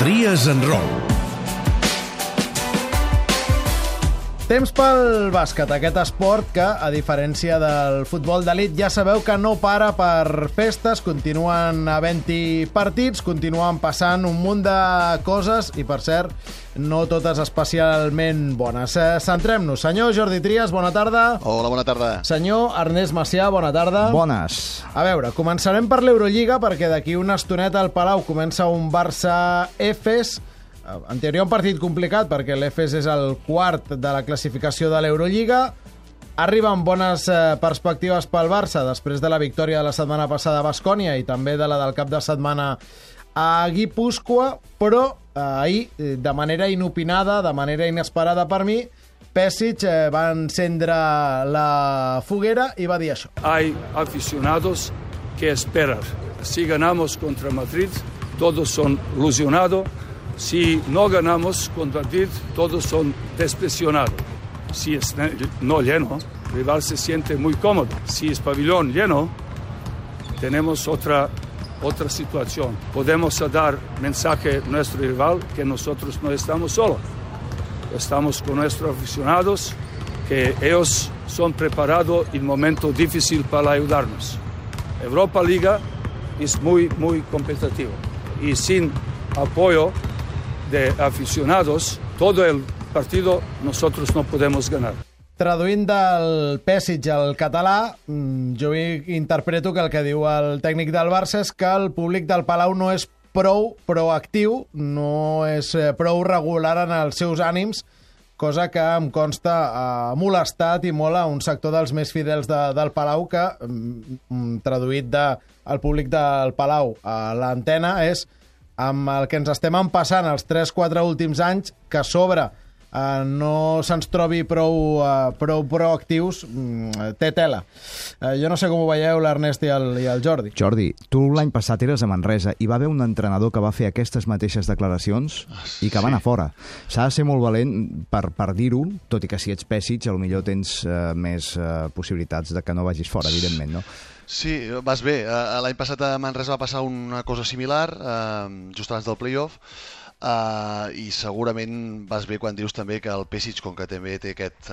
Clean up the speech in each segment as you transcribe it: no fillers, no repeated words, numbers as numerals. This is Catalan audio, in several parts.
Tries en Roll. Temps pel bàsquet, aquest esport que, a diferència del futbol d'elit, ja sabeu que no para per festes, continuen havent-hi partits, continuen passant un munt de coses i, per cert, no totes especialment bones. Centrem-nos. Senyor Jordi Trias, bona tarda. Hola, bona tarda. Senyor Ernest Macià, bona tarda. Bones. A veure, començarem per l'Eurolliga, perquè d'aquí una estoneta al Palau comença un Barça-Efes. En teoria un partit complicat perquè l'Efes és el quart de la classificació de l'Eurolliga. Arriben bones perspectives pel Barça després de la victòria de la setmana passada a Baskònia i també de la del cap de setmana a Guipúscoa, però ahir, de manera inopinada, de manera inesperada per mi, Pešić va encendre la foguera i va dir això. Hay aficionados que esperan. Si ganamos contra Madrid, todos son ilusionados. Si no ganamos contra Madrid, todos son decepcionados. Si es no lleno, el rival se siente muy cómodo. Si es pabellón lleno, tenemos otra situación. Podemos dar mensaje a nuestro rival que nosotros no estamos solos. Estamos con nuestros aficionados, que ellos son preparados en un momento difícil para ayudarnos. Europa Liga es muy, muy competitiva. Y sin apoyo de aficionados, todo el partido nosotros no podemos ganar. Traduint del Pešić al català, jo interpreto que el que diu el tècnic del Barça és que el públic del Palau no és prou proactiu, no és prou regular en els seus ànims, cosa que em consta ha molestat i molt a un sector dels més fidels del Palau que, traduït del públic del Palau a l'antena, és amb el que ens estem empassant els 3-4 últims anys, que a sobre no se'ns trobi prou proactius, té tela. Jo no sé com ho veieu l'Ernest i el Jordi. Jordi, tu l'any passat eres a Manresa i va haver un entrenador que va fer aquestes mateixes declaracions i que va anar fora. S'ha de ser molt valent per dir-ho, tot i que si ets Pešić, potser tens més possibilitats de que no vagis fora, evidentment, no? Sí, vas bé. L'any passat a Manresa va passar una cosa similar, just abans del playoff, i segurament vas bé quan dius també que el Pešić, com que també té aquest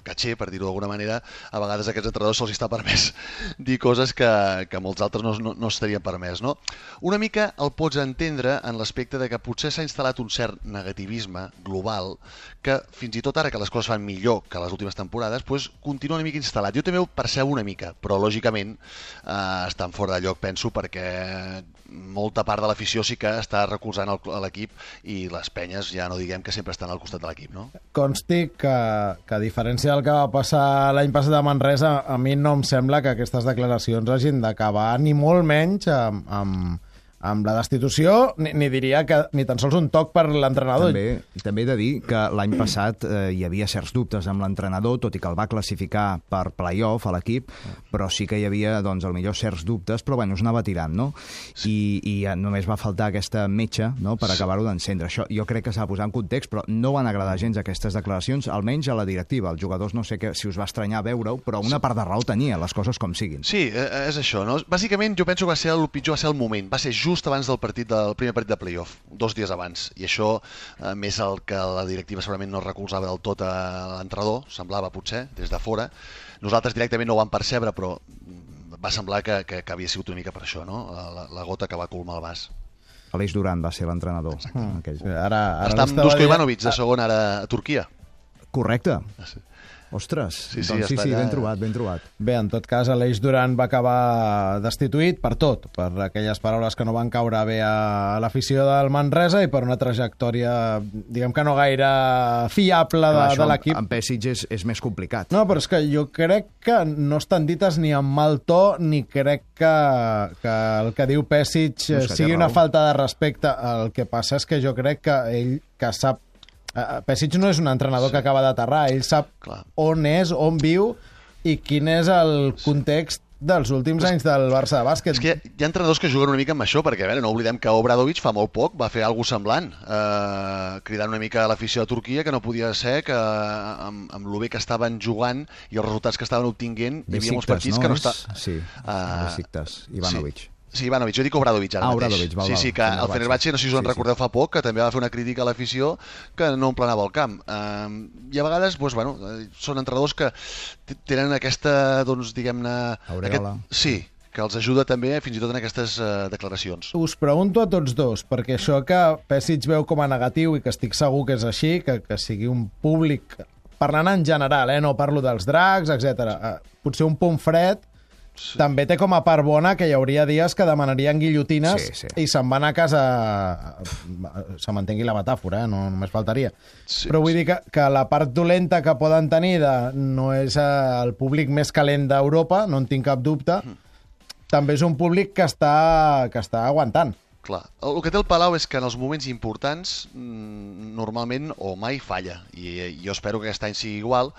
caché, per dir-ho d'alguna manera, a vegades a aquests entrenadors se'ls està permès dir coses que molts altres no estarien permès, no? Una mica el pots entendre en l'aspecte de que potser s'ha instal·lat un cert negativisme global que fins i tot ara que les coses fan millor que les últimes temporades, doncs continua una mica instal·lat. Jo també ho percebo una mica, però lògicament estan fora de lloc, penso, perquè molta part de l'afició sí que està recolzant l'equip i les penyes ja no diguem que sempre estan al costat de l'equip, no? Consti que a diferència del que va passar l'any passat a Manresa, a mi no em sembla que aquestes declaracions hagin d'acabar ni molt menys amb la destitució, ni diria que ni tan sols un toc per l'entrenador. També he de dir que l'any passat hi havia certs dubtes amb l'entrenador, tot i que el va classificar per play-off a l'equip, però sí que hi havia, doncs, potser certs dubtes, però bueno, es anava tirant, no? I només va faltar aquesta metxa, no?, per acabar-ho d'encendre. Això jo crec que s'ha de posar en context, però no van agradar gens aquestes declaracions, almenys a la directiva. Els jugadors no sé si us va estranyar veure-ho, però una part de raó tenia, les coses com siguin. Sí, és això, no? Bàsicament jo penso que el pitjor va ser el moment, va ser just abans del primer partit de playoff, 2 dies abans, i això, més el que la directiva segurament no recolzava del tot a l'entrenador, semblava potser, des de fora. Nosaltres directament no ho vam percebre, però va semblar que havia sigut una mica per això, no? La gota que va colmar el vas. Aleix Duran va ser l'entrenador. Està amb Duško Ivanović, de segon, ara a Turquia. Correcte. Ostres, sí, ben trobat. Bé, en tot cas, Aleix Duran va acabar destituït per tot, per aquelles paraules que no van caure bé a l'afició del Manresa i per una trajectòria, diguem que no gaire fiable de l'equip. Amb Pešić és més complicat. No, però és que jo crec que no estan dites ni amb mal to, ni crec que el que diu Pešić sigui una falta de respecte. El que passa és que jo crec que ell que sap. Pešić no és un entrenador que acaba d'aterrar, ell sap on és, on viu i quin és el context dels últims anys del Barça de bàsquet. És que hi ha entrenadors que juguen una mica amb això, perquè no oblidem que Obradović fa molt poc va fer alguna cosa semblant, cridant una mica a l'afició de Turquia, que no podia ser que amb el bé que estaven jugant i els resultats que estaven obtinguent hi havia molts partits que no estaven... Sí, Besiktas, Ivanović. Sí, Ivanovic, jo dic Obradovic ara mateix. Obradovic, val. Sí, que el Fenerbahçe, no sé si us en recordeu fa poc, que també va fer una crítica a l'afició que no emplenava el camp. I a vegades, doncs, bueno, són entrenadors que tenen aquesta, doncs, diguem-ne... Aureola. Sí, que els ajuda també fins i tot en aquestes declaracions. Us pregunto a tots dos, perquè això que Pesic veu com a negatiu i que estic segur que és així, que sigui un públic, parlant en general, no parlo dels dracs, etc. Potser un punt fred, sí. També té com a part bona que hi hauria dies que demanarien guillotines i se'n van a casa, se m'entengui la metàfora, no només faltaria. Sí, però vull dir que la part dolenta que poden tenir no és el públic més calent d'Europa, no en tinc cap dubte, també és un públic que està aguantant. Clar, el que té el Palau és que en els moments importants normalment o mai falla, i jo espero que aquest any sigui igual,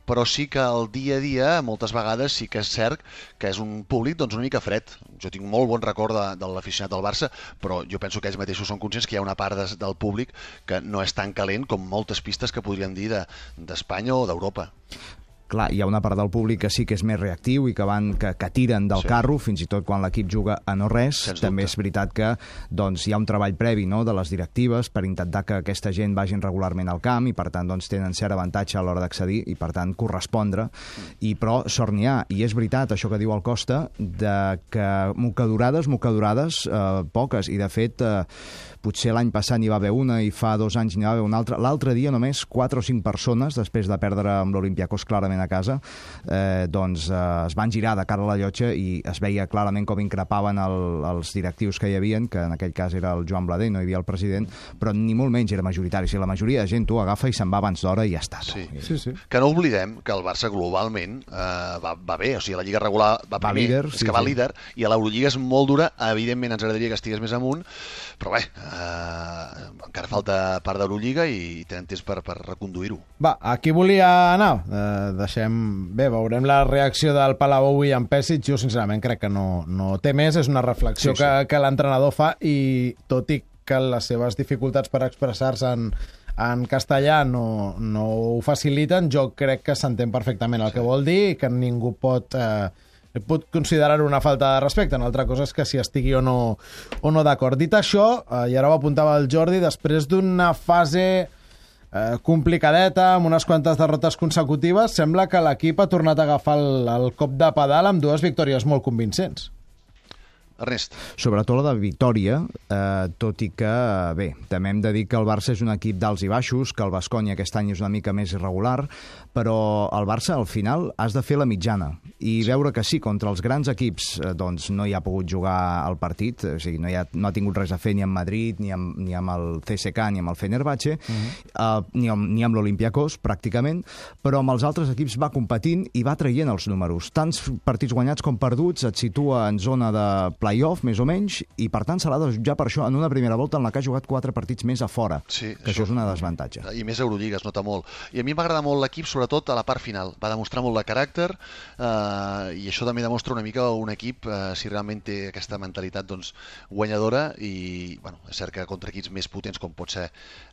però sí que el dia a dia moltes vegades sí que és cert que és un públic doncs, una mica fred. Jo tinc molt bon record de l'aficionat del Barça, però jo penso que ells mateixos són conscients que hi ha una part del públic que no és tan calent com moltes pistes que podríem dir d'Espanya o d'Europa. Clar, hi ha una part del públic que sí que és més reactiu i que tiren del carro, fins i tot quan l'equip juga a no res. També és veritat que doncs, hi ha un treball previ, no?, de les directives per intentar que aquesta gent vagin regularment al camp i per tant doncs, tenen cert avantatge a l'hora d'accedir i per tant correspondre. Però sort n'hi ha. I és veritat això que diu el Costa, de que mocadurades, poques. I de fet, potser l'any passat n'hi va haver una i fa 2 anys n'hi va haver una altra. L'altre dia només 4 o 5 persones, després de perdre amb l'Olympiacos clarament a casa, doncs es van girar de cara a la llotja i es veia clarament com increpaven els directius que hi havien, que en aquell cas era el Joan Blader, no hi havia el president, però ni molt menys era majoritari. Si la majoria de gent tu agafa i se'n va abans d'hora i ja està. Sí. Que no oblidem que el Barça globalment va bé, o sigui, la Lliga regular va primer, líder, és que va líder, i a l'Eurolliga és molt dura, evidentment ens agradaria que estigués més amunt, però bé, encara falta part d'Eurolliga i tenen temps per reconduir-ho. Va, aquí volia anar. Bé, veurem la reacció del Palau avui en Pesic. Jo sincerament crec que no té més, és una reflexió que l'entrenador fa, i tot i que les seves dificultats per expressar-se en castellà no ho faciliten, jo crec que s'entén perfectament el que vol dir i que ningú pot considerar-ho una falta de respecte. Una altra cosa és que si estigui o no d'acord. Dit això, i ara ho apuntava el Jordi, després d'una fase complicadeta, amb unes quantes derrotes consecutives, sembla que l'equip ha tornat a agafar el cop de pedal amb 2 victòries molt convincents. Ernest. Sobretot la de Vitòria, tot i que, bé, també hem de dir que el Barça és un equip d'alts i baixos, que el Baskonia aquest any és una mica més irregular, però el Barça, al final, has de fer la mitjana i veure que sí, contra els grans equips doncs no hi ha pogut jugar el partit, o sigui, no ha tingut res a fer ni amb Madrid, ni amb el CSKA, ni amb el Fenerbahce, ni amb l'Olympiacos, pràcticament, però amb els altres equips va competint i va traient els números. Tants partits guanyats com perduts et situa en zona de play-off, més o menys, i per tant se l'ha de jutjar per això en una primera volta en la que ha jugat 4 partits més a fora, que això és una desavantatge. I més Eurolliga, es nota molt. I a mi m'agrada molt l'equip, sobretot a la part final. Va demostrar molt de caràcter, i això també demostra una mica un equip si realment té aquesta mentalitat doncs, guanyadora, i bueno, és cert que contra equips més potents com pot ser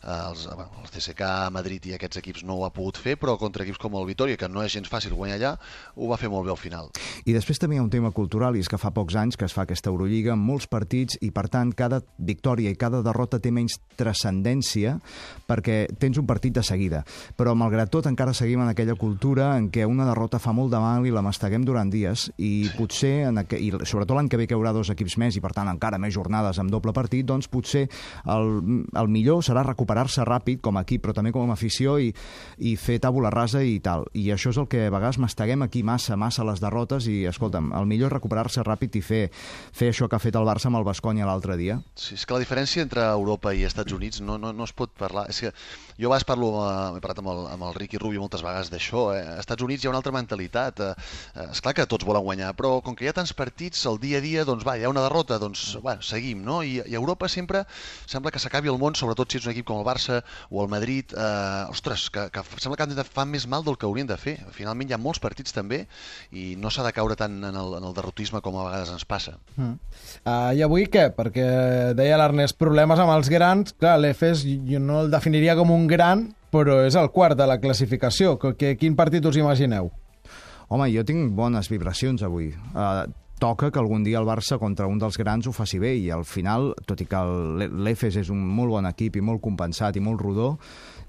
els CSKA, Madrid i aquests equips no ho ha pogut fer, però contra equips com el Vitòria, que no és gens fàcil guanyar allà, ho va fer molt bé al final. I després també hi ha un tema cultural, i és que fa pocs anys que es fa aquesta Eurolliga amb molts partits i, per tant, cada victòria i cada derrota té menys transcendència perquè tens un partit de seguida. Però, malgrat tot, encara seguim en aquella cultura en què una derrota fa molt de mal i la masteguem durant dies, i potser, i sobretot l'any que ve que hi haurà 2 equips més i, per tant, encara més jornades amb doble partit, doncs potser el millor serà recuperar-se ràpid com a equip, però també com a afició, i fer tàbula rasa i tal. I això és el que a vegades masteguem aquí massa les derrotes, i, escolta'm, el millor és recuperar-se ràpid i fer això que ha fet el Barça amb el Baskonia l'altre dia. Sí, és que la diferència entre Europa i Estats Units no es pot parlar. És que jo a vegades he parlat amb el Ricky Rubio moltes vegades d'això. Als Estats Units hi ha una altra mentalitat. Esclar que tots volen guanyar, però com que hi ha tants partits, el dia a dia, doncs va, hi ha una derrota, doncs bueno, seguim, no? I a Europa sempre sembla que s'acabi el món, sobretot si ets un equip com el Barça o el Madrid. Ostres, que sembla que fan més mal del que haurien de fer. Finalment hi ha molts partits també i no s'ha de caure tant en el derrotisme com a vegades ens passa. I avui què? Perquè deia l'Ernest, problemes amb els grans. Clar, l'Efes jo no el definiria com un gran, però és el quart de la classificació. Quin partit us imagineu? Home, jo tinc bones vibracions avui. toca que algun dia el Barça contra un dels grans ho faci bé, i al final, tot i que l'Efes és un molt bon equip i molt compensat i molt rodó,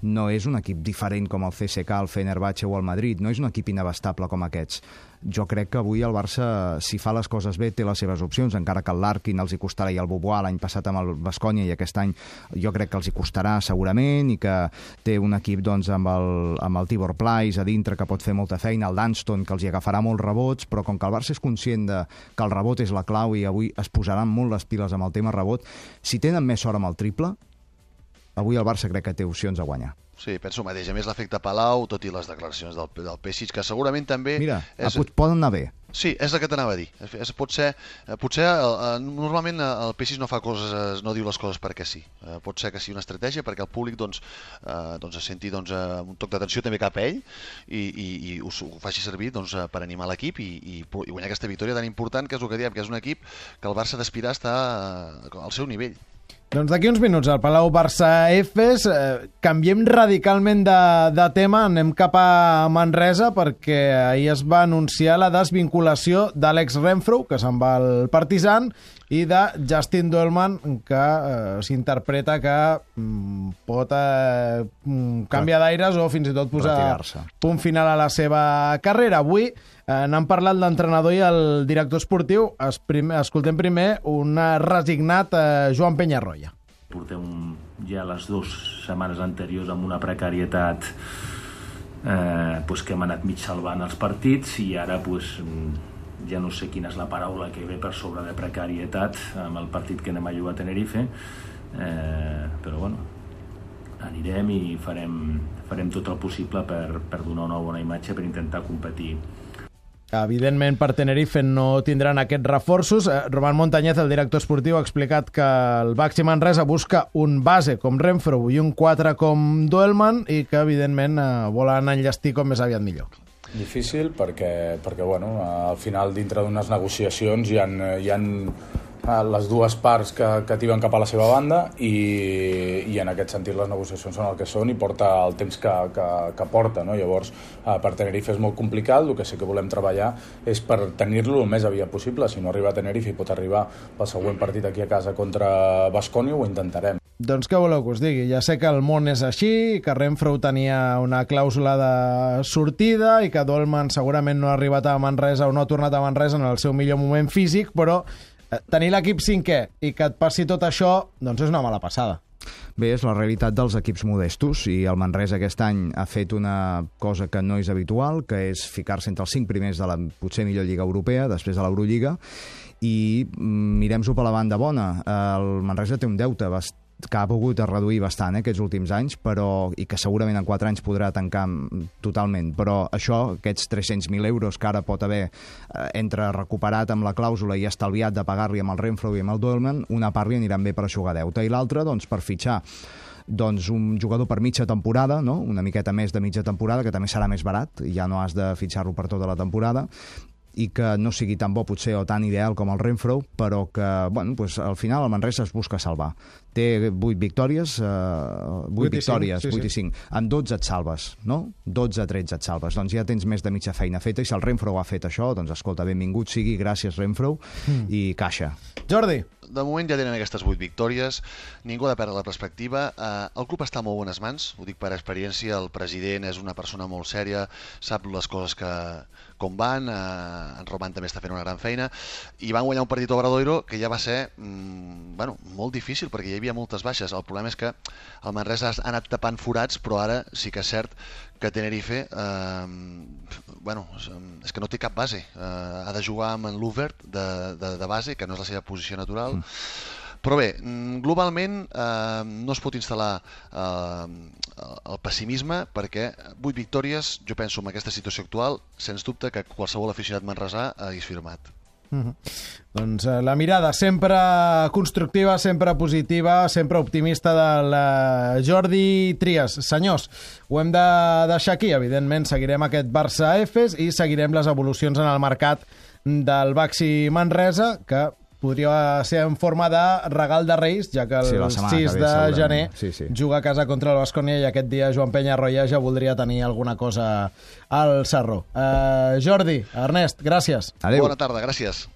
no és un equip diferent com el CSKA, el Fenerbahçe o el Madrid, no és un equip inabastable com aquests. Jo crec que avui el Barça, si fa les coses bé, té les seves opcions, encara que el Larkin els hi costarà, i el Bobois l'any passat amb el Baskonia, i aquest any jo crec que els hi costarà segurament, i que té un equip doncs, amb el Tibor Pleiss a dintre que pot fer molta feina, el Dunston que els hi agafarà molts rebots, però com que el Barça és conscient que el rebot és la clau i avui es posaran molt les piles amb el tema rebot, si tenen més sort amb el triple, avui el Barça crec que té opcions a guanyar. Sí, penso el mateix. A més, l'efecte Palau, tot i les declaracions del Pesic, que segurament també... Mira, poden anar bé. Sí, és el que t'anava a dir. Potser normalment el Pesic no fa coses, no diu les coses perquè sí. Pot ser que sigui una estratègia perquè el públic es senti un toc d'atenció també cap a ell i ho faci servir per animar l'equip i guanyar aquesta victòria tan important, que és el que diem, que és un equip que el Barça d'aspirar està al seu nivell. Doncs d'aquí uns minuts al Palau Barça-Efes canviem radicalment de tema, anem cap a Manresa perquè ahir es va anunciar la desvinculació d'Àlex Renfrow, que se'n va al Partizan, i de Justin Doelman, que s'interpreta que pot canviar d'aires o fins i tot posar punt final a la seva carrera. Avui n'han parlat l'entrenador i el director esportiu. Escoltem primer un resignat Joan Peñarroya. Portem ja les 2 setmanes anteriors amb una precarietat que hem anat mig salvant els partits, i ara ja no sé quina és la paraula que ve per sobre de precarietat amb el partit que anem a jugar a Tenerife, però bueno, anirem i farem tot el possible per donar una bona imatge, per intentar competir. Evidentment, per Tenerife no tindran aquests reforços. Roman Montañez, el director esportiu, ha explicat que el Baxi Manresa busca un base com Renfrow i un 4 com Doelman, i que, evidentment, volen enllestir com més aviat millor. Difícil perquè bueno, al final, dintre d'unes negociacions hi ha les dues parts que tiben cap a la seva banda i en aquest sentit les negociacions són el que són i porta el temps que porta, no? Llavors, per Tenerife és molt complicat. El que sí que volem treballar és per tenir-lo el més aviat possible. Si no arriba a Tenerife i pot arribar pel següent partit aquí a casa contra Baskonia, ho intentarem. Doncs què voleu que us digui? Ja sé que el món és així, que Renfrow tenia una clàusula de sortida i que Doelman segurament no ha arribat a Manresa o no ha tornat a Manresa en el seu millor moment físic, però tenir l'equip cinquè i que et passi tot això, doncs és una mala passada. Bé, és la realitat dels equips modestos, i el Manresa aquest any ha fet una cosa que no és habitual, que és ficar-se entre els 5 primers de la potser millor lliga europea, després de l'Eurolliga, i mirem-s'ho per la banda bona. El Manresa té un deute que ha pogut reduir bastant aquests últims anys, i que segurament en 4 anys podrà tancar totalment, però això, aquests 300.000 euros que ara pot haver entre recuperat amb la clàusula i estalviat de pagar-li amb el Renfrow i amb el Doelman, una part li aniran bé per aixugar deute i l'altra per fitxar un jugador per mitja temporada, no? Una miqueta més de mitja temporada, que també serà més barat, ja no has de fitxar-lo per tota la temporada, i que no sigui tan bo potser o tan ideal com el Renfrow, però que al final el Manresa es busca salvar. Té 8 victòries, 8 victòries, 8 i 5. En 12 et salves, no? 12-13 et salves. Doncs ja tens més de mitja feina feta, i si el Renfrow ha fet això, doncs escolta, benvingut sigui, gràcies Renfrow, i caixa. Jordi. De moment ja tenen aquestes 8 victòries, ningú ha de perdre la perspectiva. El club està a molt bones mans, ho dic per experiència, el president és una persona molt sèria, sap les coses com van, en Roman també està fent una gran feina, i van guanyar un partit a Obradoiro que ja va ser molt difícil perquè hi havia moltes baixes. El problema és que el Manresa ha anat tapant forats, però ara sí que és cert que Tenerife és que no té cap base. Ha de jugar amb en Luvert de base, que no és la seva posició natural. Però bé, globalment no es pot instal·lar el pessimisme, perquè 8 victòries, jo penso, en aquesta situació actual, sens dubte que qualsevol aficionat manresà hagués firmat. Doncs la mirada sempre constructiva, sempre positiva, sempre optimista del Jordi Trias. Senyors, ho hem de deixar aquí. Evidentment seguirem aquest Barça-Efes i seguirem les evolucions en el mercat del Baxi Manresa, que podria ser en forma de regal de Reis, ja que el 6 de gener juga a casa contra el Baskonia, i aquest dia Joan Peñarroya ja voldria tenir alguna cosa al sarró. Jordi, Ernest, gràcies. Adéu. Bona tarda, gràcies.